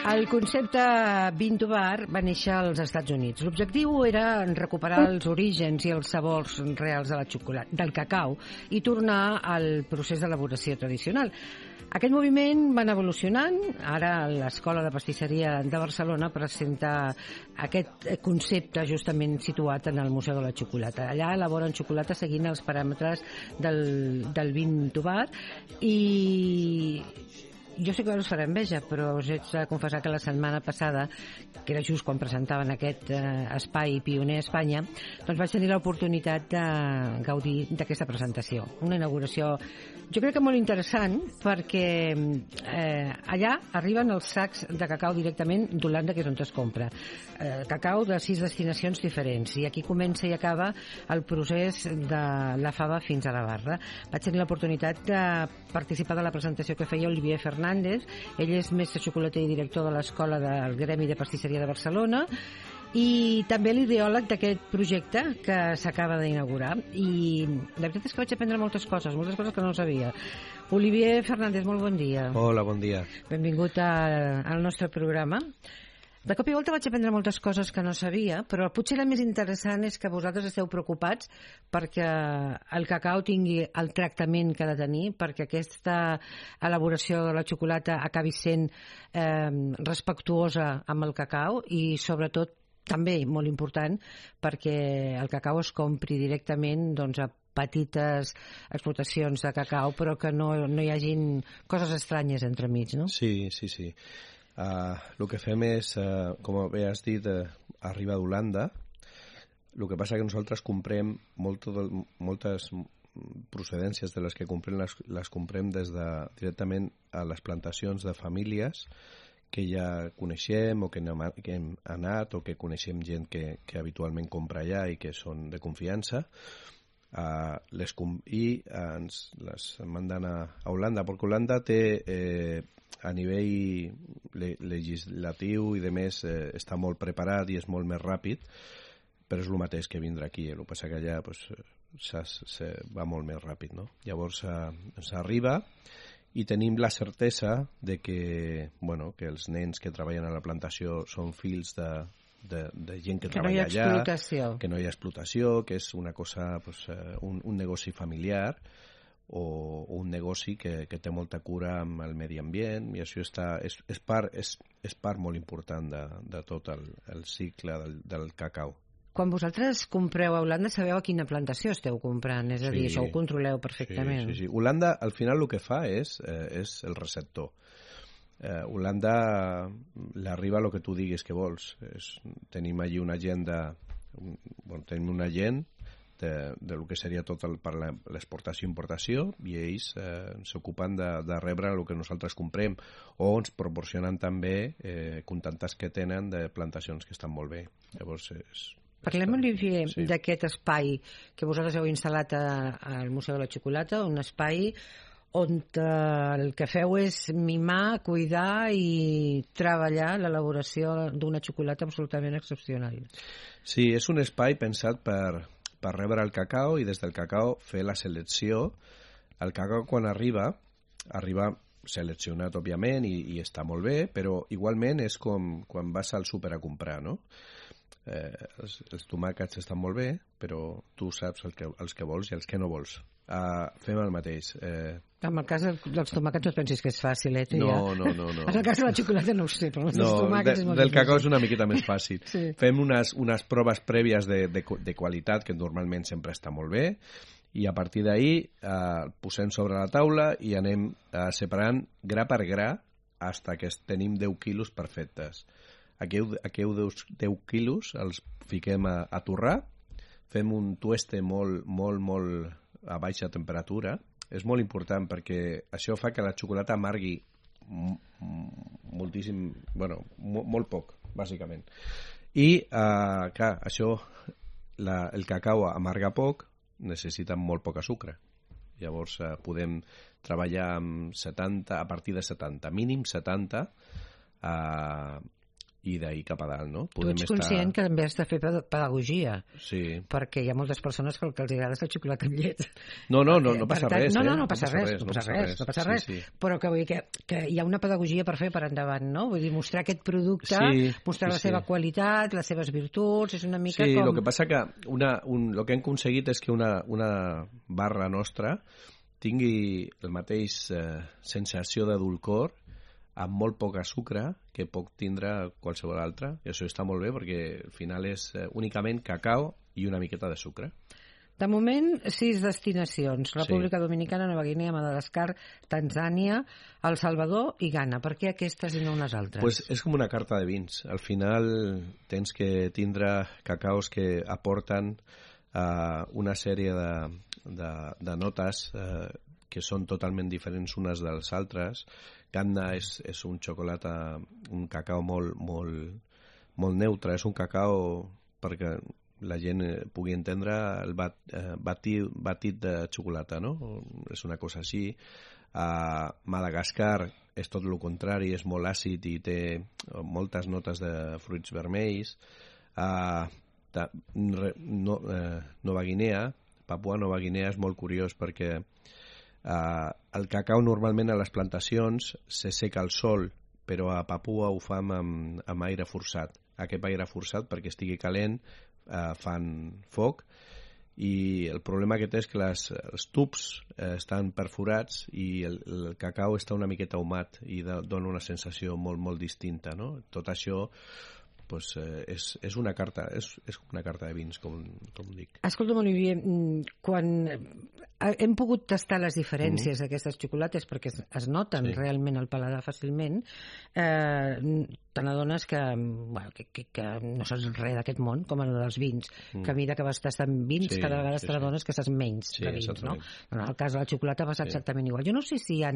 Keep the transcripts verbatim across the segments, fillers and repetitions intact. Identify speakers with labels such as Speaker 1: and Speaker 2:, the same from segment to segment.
Speaker 1: El concepte Bean to Bar va néixer als Estats Units. L'objectiu era recuperar els orígens i els sabors reals de la xocolata, del cacau i tornar al procés d'elaboració tradicional. Aquest moviment va anar evolucionant. Ara l'Escola de Pastisseria de Barcelona presenta aquest concepte justament situat en el Museu de la Xocolata. Allà elaboren xocolata seguint els paràmetres del, del Bean to Bar i jo sé que us farà enveja, però us haig de confessar que la setmana passada, que era just quan presentaven aquest eh, espai pioner a Espanya, doncs vaig tenir l'oportunitat de gaudir d'aquesta presentació. Una inauguració, jo crec que molt interessant, perquè eh, allà arriben els sacs de cacau directament d'Holanda, que és on es compra. Eh, cacau de sis destinacions diferents, i aquí comença i acaba el procés de la fava fins a la barra. Vaig tenir l'oportunitat de participar de la presentació que feia Olivier Fernández. Ell és mestre xocolater i director de l'Escola del Gremi de Pastisseria de Barcelona i també l'ideòleg d'aquest projecte que s'acaba d'inaugurar. I la veritat és que vaig aprendre moltes coses, moltes coses que no sabia. Olivier Fernández, molt bon dia.
Speaker 2: Hola, bon dia.
Speaker 1: Benvingut a, al nostre programa. De cop i volta vaig aprendre moltes coses que no sabia, però potser la més interessant és que vosaltres esteu preocupats perquè el cacau tingui el tractament que ha de tenir, perquè aquesta elaboració de la xocolata acabi sent eh, respectuosa amb el cacau i, sobretot, també molt important, perquè el cacau es compri directament doncs, a petites explotacions de cacau, però que no, no hi hagin coses estranyes entremig, no?
Speaker 2: Sí, sí, sí. Uh, el que fem és, uh, com bé has dit, uh, arriba d'Holanda. El que passa que nosaltres comprem molt, moltes procedències de les que comprem, les, les comprem des de, directament a les plantacions de famílies que ja coneixem o que hem, que hem anat o que coneixem gent que, que habitualment compra allà i que són de confiança. Uh, les com i uh, ens les manden a, a Holanda, perquè Holanda té eh, a nivell le legislatiu i de més eh, està molt preparat i és molt més ràpid, però és el mateix que vindre aquí. El que passa que allà pues, se, se va molt més ràpid, no? Llavors eh, ens arriba i tenim la certesa de que, bueno, que els nens que treballen a la plantació són fills de De, de gent que, que treballa
Speaker 1: no
Speaker 2: allà, que no hi ha explotació, que és una cosa, pues, un, un negoci familiar o, o un negoci que, que té molta cura amb el medi ambient, i això està, és, és, part, és, és part molt important de, de tot el, el cicle del, del cacau.
Speaker 1: Quan vosaltres compreu a Holanda, sabeu a quina plantació esteu comprant? És a dir, sí, això ho controleu perfectament.
Speaker 2: Sí, sí, sí. Holanda, al final, el que fa és, eh, és el receptor. Eh, Holanda l'arriba el que tu diguis que vols. És, tenim allí una agenda, un, bueno, tenim un agent de, de lo que seria tot el, per l'exportació i importació, i ells eh, s'ocupen de, de rebre el que nosaltres comprem, o ens proporcionen també eh, contactes que tenen de plantacions que estan molt bé. Llavors és...
Speaker 1: Parlem, Olivier, sí, d'aquest espai que vosaltres heu instal·lat a, al Museu de la Xocolata, un espai on el que feu és mimar, cuidar i treballar l'elaboració d'una xocolata absolutament excepcional.
Speaker 2: Sí, és un espai pensat per, per rebre el cacau i des del cacau fer la selecció. El cacau, quan arriba, arriba seleccionat, òbviament, i, i està molt bé, però igualment és com quan vas al súper a comprar, no? Eh, els, els tomàquets estan molt bé, però tu saps el que, els que vols i els que no vols. Uh, fem el mateix. Eh...
Speaker 1: En el cas dels tomàquets no et pensis que és fàcil, eh?
Speaker 2: No, ja. no, no, no.
Speaker 1: En el cas de la xocolata no ho sé, però els
Speaker 2: no,
Speaker 1: tomàquets
Speaker 2: de,
Speaker 1: és molt
Speaker 2: del
Speaker 1: difícil.
Speaker 2: cacau és una miqueta més fàcil.
Speaker 1: Sí.
Speaker 2: Fem unes, unes proves prèvies de, de, de qualitat, que normalment sempre està molt bé, i a partir d'ahir eh, posem sobre la taula i anem eh, separant gra per gra fins que tenim deu quilos perfectes. Aquells deu quilos els fiquem a, a torrar, fem un tueste molt, molt, molt a baixa temperatura. És molt important perquè això fa que la xocolata amargui moltíssim, bueno, molt poc, bàsicament. I, eh, clar, això, la, el cacau amarga poc, necessita molt poc sucre. Llavors eh, podem treballar amb setanta, a partir de setanta, mínim setanta, eh, i d'ahir cap a dalt, no?
Speaker 1: Podem tu ets conscient estar... que també has de fer pedagogia,
Speaker 2: sí.
Speaker 1: perquè hi ha moltes persones que el que els agrada és el xocolata amb llet.
Speaker 2: No, no, no, no passa res,
Speaker 1: no, no,
Speaker 2: eh?
Speaker 1: no passa res, no passa res, no passa res,
Speaker 2: sí, sí.
Speaker 1: Però que vull dir que, que hi ha una pedagogia per fer per endavant, no? Vull dir, mostrar aquest producte,
Speaker 2: sí,
Speaker 1: mostrar
Speaker 2: sí,
Speaker 1: la seva
Speaker 2: sí.
Speaker 1: qualitat, les seves virtuts, és una mica
Speaker 2: sí,
Speaker 1: com...
Speaker 2: Sí, el que passa que una, un, el que hem aconseguit és que una, una barra nostra tingui el mateix eh, sensació de dulcor amb molt poc sucre que pot tindre qualsevol altra, i això està molt bé perquè al final és eh, únicament cacau i una miqueta de sucre.
Speaker 1: De moment, sis destinacions. República sí. Dominicana, Nova Guinea, Madagascar, Tanzània, El Salvador i Ghana. Per què aquestes i no unes altres?
Speaker 2: Pues és com una carta de vins. Al final tens que tindre cacaus que aporten uh, una sèrie de, de, de notes uh, que són totalment diferents unes dels altres. Ghana és, és un xocolata, un cacau molt, molt, molt neutre. És un cacau perquè la gent pugui entendre el bat, eh, batit, batit de xocolata, no? És una cosa així. A Madagascar és tot el contrari, és molt àcid i té moltes notes de fruits vermells. A ta, no, eh, Nova Guinea, Papua Nova Guinea és molt curiós perquè Uh, el cacau normalment a les plantacions se seca al sol, però a Papua ho fan amb, amb aire forçat. Aquest aire forçat, perquè estigui calent, uh, fan foc, i el problema que té és que les, els tubs uh, estan perforats i el, el cacau està una miqueta humat i de, dona una sensació molt, molt distinta, no? Tot això pues, eh, és, és una carta és, és una carta de vins, com, com dic.
Speaker 1: Escolta'm, Olivier, quan hem pogut tastar les diferències mm. d'aquestes xocolates perquè es, es noten sí. realment al paladar fàcilment, eh, te n'adones que, bueno, que, que, que no saps res d'aquest món, com el dels vins, mm. que a mesura que vas tastant vins, sí, cada vegada sí, te n'adones sí. que saps menys sí, de vins, no? En el cas de la xocolata va ser sí. exactament igual. Jo no sé si hi ha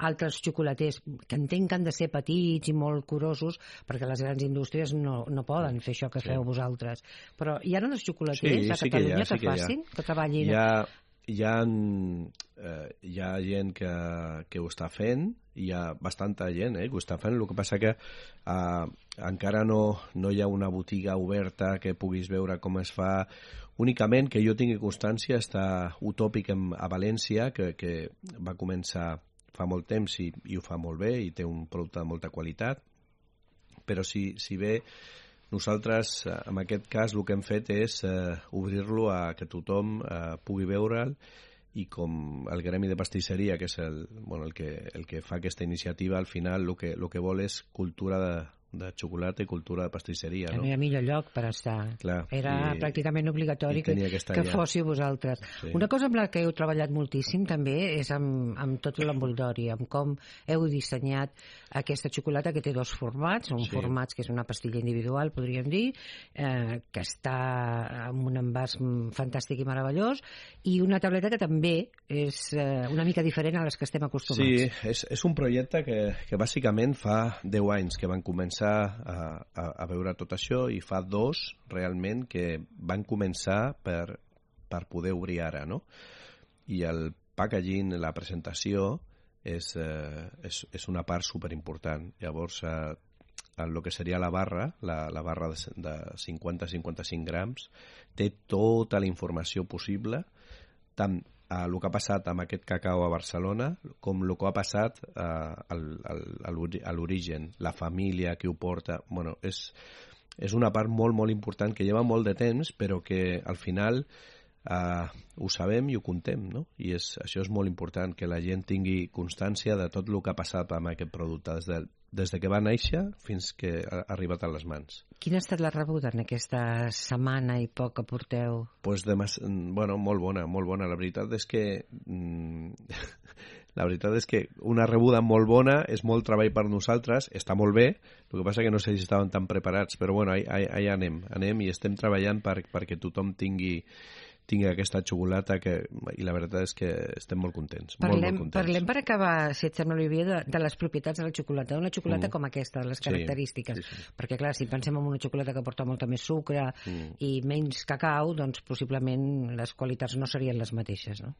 Speaker 1: altres xocolaters que entenc que han de ser petits i molt curosos, perquè les grans indústries no, no poden fer això que sí. feu vosaltres. Però hi ha uns xocolaters sí, a Catalunya sí que, ha, sí que, que facin, que treballin...
Speaker 2: Hi ha, hi ha, eh, hi ha gent que, que ho està fent, hi ha bastanta gent eh, que ho està fent, el que passa que eh, encara no, no hi ha una botiga oberta que puguis veure com es fa. Únicament que jo tingui constància està Utòpic a València, que, que va començar fa molt temps i, i ho fa molt bé i té un producte de molta qualitat, però si, si bé nosaltres, en aquest cas, el que hem fet és eh, obrir-lo a que tothom eh, pugui veure'l, i com el gremi de pastisseria, que és el, bueno, el, que, el que fa aquesta iniciativa, al final el que, el que vol és cultura de, de xocolata i cultura de pastisseria, no?
Speaker 1: No hi ha millor lloc per estar.
Speaker 2: Clar,
Speaker 1: era i, pràcticament obligatori que, que, que fóssiu vosaltres. Sí. Una cosa amb la que heu treballat moltíssim també és amb, amb tot l'envoltori, amb com heu dissenyat aquesta xocolata que té dos formats, un sí. format que és una pastilla individual, podríem dir, eh, que està amb un envàs fantàstic i meravellós, i una tableta que també és eh, una mica diferent a les que estem acostumats.
Speaker 2: Sí, és, és un projecte que, que bàsicament fa deu anys que van començar a, a, a veure tot això, i fa dos realment que van començar per, per poder obrir ara, no? I el packaging, la presentació, és, eh, és, és una part superimportant. Llavors, eh, el que seria la barra, la, la barra de, de cinquanta a cinquanta-cinc grams, té tota la informació possible, tant a el que ha passat amb aquest cacau a Barcelona com el que ha passat eh, al, al, a l'origen, la família que ho porta. Bueno, és, és una part molt, molt important que lleva molt de temps, però que al final eh, ho sabem i ho contem, no? I és, això és molt important, que la gent tingui constància de tot el que ha passat amb aquest producte, des de, des de que va néixer fins que ha arribat a les mans.
Speaker 1: Quina ha estat la rebuda en aquesta setmana i poc que porteu?
Speaker 2: Pues de mas... bueno, molt bona, molt bona. La veritat és que la veritat és que una rebuda molt bona, és molt treball per nosaltres, està molt bé, el que passa que no sé si estaven tan preparats, però bueno, allà, allà anem, anem i estem treballant per, perquè tothom tingui tingui aquesta xocolata, que, i la veritat és que estem molt contents.
Speaker 1: Parlem,
Speaker 2: molt, molt contents.
Speaker 1: Parlem per acabar, si et sembla, Olivier, de, de les propietats de la xocolata. Una xocolata mm. com aquesta, les característiques. Sí, sí, sí. Perquè, clar, si pensem en una xocolata que porta molta més sucre mm. i menys cacau, doncs possiblement les qualitats no serien les mateixes, no?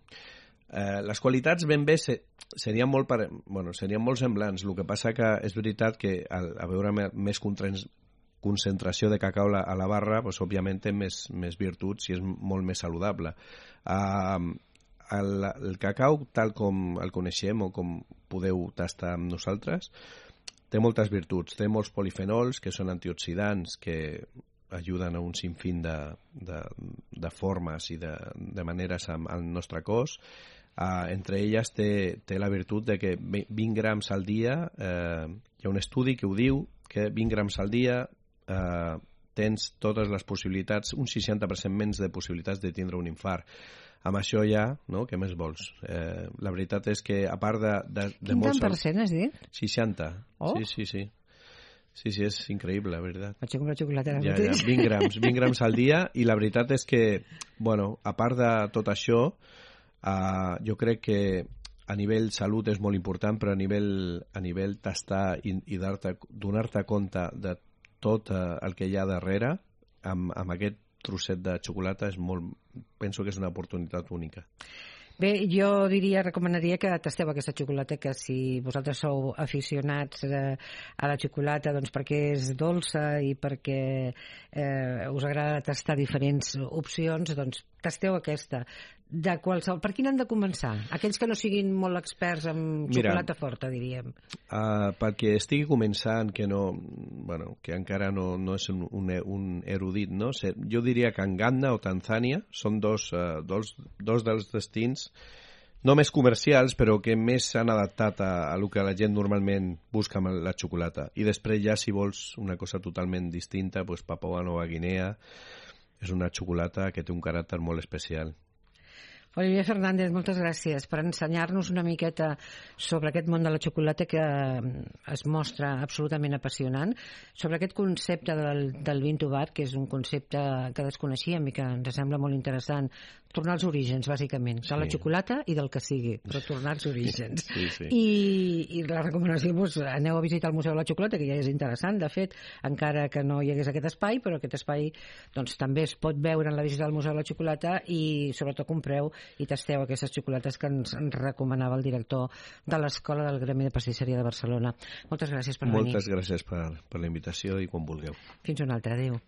Speaker 2: Eh, les qualitats ben bé se, serien, molt per, bueno, serien molt semblants. El que passa que és veritat que al, a veure més, concentració de cacau a la barra, doncs, òbviament té més, més virtuts i és molt més saludable. Uh, el, el cacau, tal com el coneixem o com podeu tastar amb nosaltres, té moltes virtuts. Té molts polifenols, que són antioxidants, que ajuden a un sinfín de, de, de formes i de, de maneres al nostre cos. Uh, entre elles té, té la virtut de que vint grams al dia, eh, hi ha un estudi que ho diu, que vint grams al dia eh, tens totes les possibilitats, un seixanta per cent menys de possibilitats de tindre un infart. Amb això ja, no? Què més vols? Eh, la veritat és que a part de... de, de
Speaker 1: Quin
Speaker 2: molts...
Speaker 1: tant per cent has dit?
Speaker 2: seixanta.
Speaker 1: Oh.
Speaker 2: Sí, sí, sí. Sí, sí, és increïble, la veritat.
Speaker 1: Vaig a comprar xocolata ara
Speaker 2: Ja,
Speaker 1: mateix.
Speaker 2: ja, vint grams, vint grams al dia, i la veritat és que, bueno, a part de tot això, uh, jo crec que a nivell salut és molt important, però a nivell, a nivell tastar i, i donar-te compte de tot uh, el que hi ha darrere, amb, amb aquest trosset de xocolata, és molt, penso que és una oportunitat única.
Speaker 1: Bé, jo diria, recomanaria que tasteu aquesta xocolata, que si vosaltres sou aficionats eh, a la xocolata, doncs perquè és dolça i perquè eh, us agrada tastar diferents opcions, doncs tasteu aquesta. De qualsevol... Per quin han de començar? Aquells que no siguin molt experts en xocolata Mira, forta, diríem.
Speaker 2: Uh, perquè estigui començant, que no, bueno, que encara no, no és un, un, un erudit, no? Jo diria que Uganda o Tanzània són dos, uh, dos, dos dels destins no més comercials, però que més s'han adaptat a, a el que la gent normalment busca amb la xocolata. I després ja, si vols una cosa totalment distinta, pues Papua Nova Guinea és una xocolata que té un caràcter molt especial.
Speaker 1: Olivier Fernández, moltes gràcies per ensenyar-nos una miqueta sobre aquest món de la xocolata que es mostra absolutament apassionant, sobre aquest concepte del, del bean to bar, que és un concepte que desconeixíem i que ens sembla molt interessant. Tornar als orígens, bàsicament, de sí. la xocolata i del que sigui, però tornar als orígens.
Speaker 2: Sí, sí.
Speaker 1: I, I la recomanació, doncs, aneu a visitar el Museu de la Xocolata, que ja és interessant, de fet, encara que no hi hagués aquest espai, però aquest espai doncs, també es pot veure en la visita al Museu de la Xocolata i, sobretot, compreu i tasteu aquestes xocolates que ens, ens recomanava el director de l'Escola del Gremi de Pastisseria de Barcelona. Moltes gràcies per venir.
Speaker 2: Moltes gràcies per, per la invitació i quan vulgueu.
Speaker 1: Fins una altra. Adéu.